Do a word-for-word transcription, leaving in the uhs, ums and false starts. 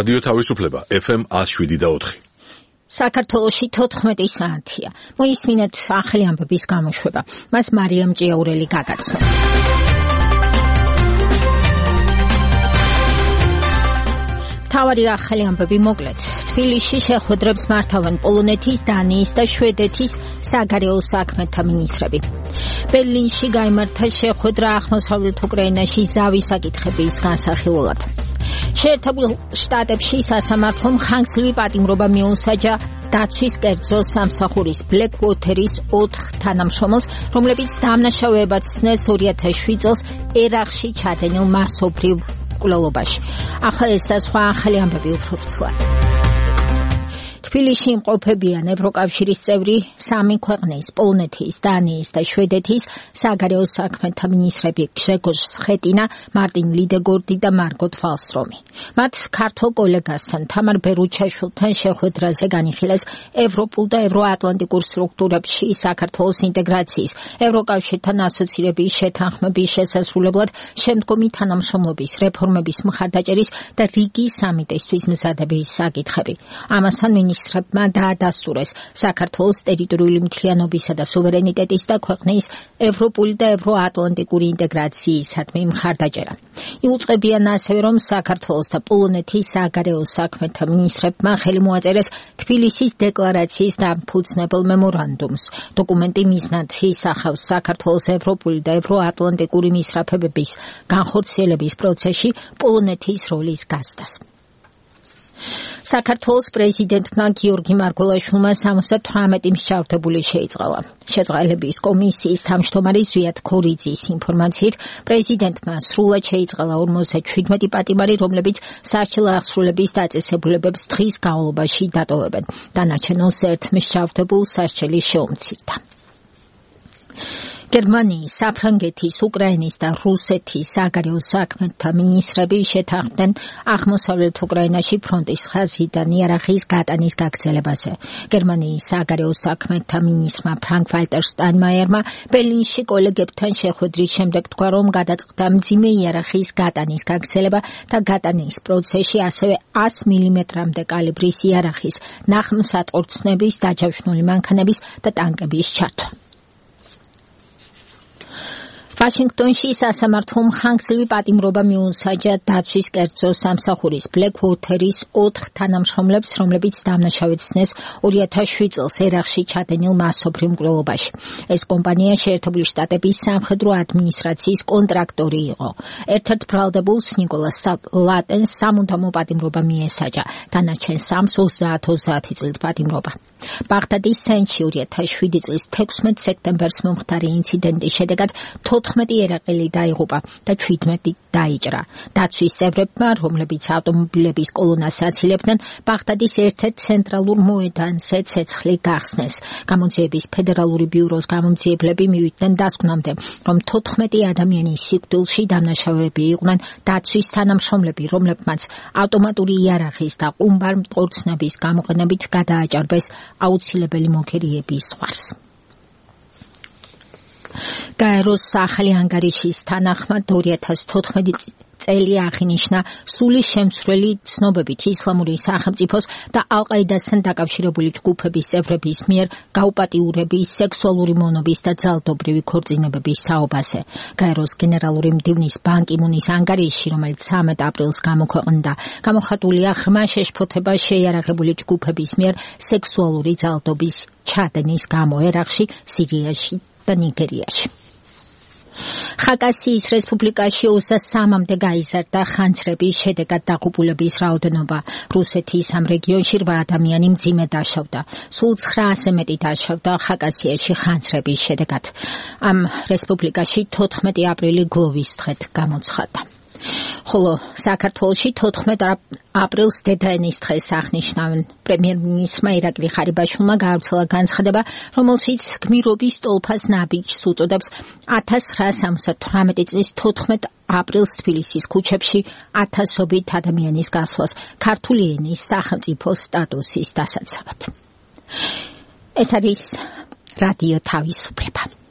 რადიო თავისუფლება ეფ ემ one oh seven point four. საქართველოში თოთხმეტი საათია. მოისმინეთ ახალი ამბების გამოშვება. მას მარიამ ჭიაურელი გაგაცნო. თავარი ახალი ამბები მოკლედ. თბილისში შეხვედრებს მართავენ პოლონეთის, დანიის და შვედეთის საგარეო საქმეთა მინისტრები. ბერლინში გაიმართა შეხვედრა აღმოსავლეთ უკრაინაში ზავის საკითხების განსახილველად. შეერთებულ შტატებში სასამართლომ ხანგრძლივი პატიმრობა მიუსაჯა დაცვის კერძო სამსახურის ბლეკვოთერის ოთხ თანამშრომელს, რომლებიც დამნაშავეებად ცნეს ორი ათას შვიდ წელს ერაყში ჩადენილ მასობრივ მკვლელობაში. ახლა ეს და სხვა ახალი ამბები უფრო ვრცლად. თბილისში იმყოფებიან ევროკავშირის წევრი სამი ქვეყნის, პოლონეთის, დანიის და შვედეთის საგარეო საქმეთა მინისტრები გრეგორ სხეტინა, მარტინ ლიდეგორდი და მარგოთ ვალსტრომი. მათ ქართულ კოლეგასთან თამარ ბერუჩაშვილთან შეხვედრაზე განიხილეს ევროპულ და ევროატლანტიკურ სტრუქტურებში საქართველოს ინტეგრაციის, ევროკავშირთან ასოცირების შეთანხმების შესასრულებლად შემდგომი თანამშრომლობის, რეფორმების მხარდაჭერის და რიგის სამიტისთვის მზადების საკითხები. ამასთან მინისტრებმა დაადასტურეს საქართველოს ტერიტორიული მთლიანობისა და სუვერენიტეტის და ქვეყნის ევროპული და ევროატლანტიკური ინტეგრაციისადმი მხარდაჭერა. იუწყებიან ასევე, რომ საქართველოს და პოლონეთის საგარეო საქმეთა მინისტრებმა ხელი მოაწერეს თბილისის დეკლარაციის დამფუძნებელ მემორანდუმს. დოკუმენტი მიზნად ისახავს საქართველოს ევროპული და ევროატლანტიკური მისწრაფებების განხორციელების პროცესში პოლონეთის როლის გაზრდას. საქართველოს პრეზიდენტმა გიორგი მარგველაშვილმა სამოცდა თვრამეტი მსჯავრდებული შეიწყალა. შეწყალების კომისიის თავმჯდომარე ზვიად ქორიძის ინფორმაციით, პრეზიდენტმა სრულად შეიწყალა ორმოცდაშვიდმეტი პატიმარი, რომლებიც სასჯელ აღსრულების დაწესებულებებს დღის განმავლობაში დატოვებენ. დანარჩენ ერთ მსჯავრდებულს სასჯელი შეუმცირდა. გერმანიის, საფრანგეთის, უკრაინის და რუსეთის საგარეო საქმეთა მინისტრები შეთანხმდნენ აღმოსავლეთ უკრაინაში ფრონტის ხაზიდან იარაღის გატანის გაგრძელებაზე. გერმანიის საგარეო საქმეთა მინისტრმა ფრანკ ვალტერ შტაინმაიერმა ბერლინში კოლეგებთან შეხვედრის შემდეგ თქვა, რომ გადაწყდა მძიმე იარაღის გატანის გაგრძელება და გატანის პროცესში ასევე ას მილიმეტრამდე კალიბრის იარაღის, ნახმსატყორცნების, დაჯავშნული მანქანების და ტანკების ჩართვა. ვაშინგტონში სასამართლომ ხანგრძლივი პატიმრობა მიუსაჯა დაცვის კერძო სამსახურის ბლეკვოთერის ოთხ თანამშრომლებს, რომლებიც დამნაშავედ ცნეს ორი ათას შვიდ წელს ერაყში ჩადენილ მასობრივ მკვლელობაში. ეს კომპანია შეერთებული შტატების სამხედრო ადმინისტრაციის კონტრაქტორი იყო. ერთ-ერთ ბრალდებულს ნიკოლას ლატენს სამუდამო პატიმრობა მიესაჯა. დანარჩენ სამს ოცდაათ ოცდაათი წლით პატიმრობა. ბაღდადის ცენტრში ორი ათას შვიდი წლის თექვსმეტ სექტემბერს მომხდარი ინციდენტის შედეგად თოთხმეტი ერაყელი დაიღუპა და ჩვიდმეტი დაიჭრა. დაცვის წევრებმა, რომლებიც ავტომობილების კოლონას აცილებდნენ, ბაღდადის ერთ-ერთ ცენტრალურ მოედანზე ცეცხლი გახსნეს. გამოძიების ფედერალური ბიუროს გამომძიებლები მივიდნენ დასკვნამდე, რომ თოთხმეტი ადამიანის სიკვდილში დამნაშავეები იყვნენ დაცვის თანამშრომლები, რომლებმაც ავტომატური იარაღის და ყუმბარ მტყორცნების გამოყენებით გადააჭარბეს აუცილებელი მოგერიების ზღვარს. გაეროს ახალი ანგარიშის თანახმად ორი ათას თოთხმეტი წელი აღინიშნა სული შემცვლელი ცნობებით ისლამური სახელმწიფოს და ალ-ყაიდასთან დაკავშირებული ჯგუფების წევრების მიერ გაუპატიურების, სექსუალური მონობის და ძალადობრივი ქორწინებების საუბაზე. გაეროს გენერალური მდივნის ბან კი მუნის ანგარიში, რომელიც სამედ აპრილს გამოქვეყნდა, გამოხატულია ღრმა შეშფოთება შეიარაღებული ჯგუფების მიერ სექსუალური ძალადობის ჩადენის გამო ერაყში, სირიაში და ნიგერიაში. ხაკასიის რესპუბლიკაში ოცდასამამდე გაიზარდა ხანძრების შედეგად დაღუპულების რაოდენობა. რუსეთის ამ რეგიონში რვა ადამიანი მძიმე დაშავდა. სულ ცხრაასზე მეტი დაშავდა ხაკასიაში ხანძრების შედეგად. ამ რესპუბლიკაში თოთხმეტი აპრილი გლოვის დღედ გამოცხადდა. ხოლო საქართველოში თოთხმეტ აპრილს დედაენის დღეს აღნიშნავენ. პრემიერ-მინისტრმა ირაკლი ხარიბაშვილმა გაავრცელა განცხადება, რომელშიც გმირობის ტოლფას ნაბიჯს უწოდებს ათას ცხრაასა სამოცდათვრამეტი წლის თოთხმეტ აპრილს თბილისის ქუჩებში ათასობით ადამიანის გასვლას ქართული ენის სახელმწიფო სტატუსის დასაცავად. ეს არის რადიო თავისუფლება.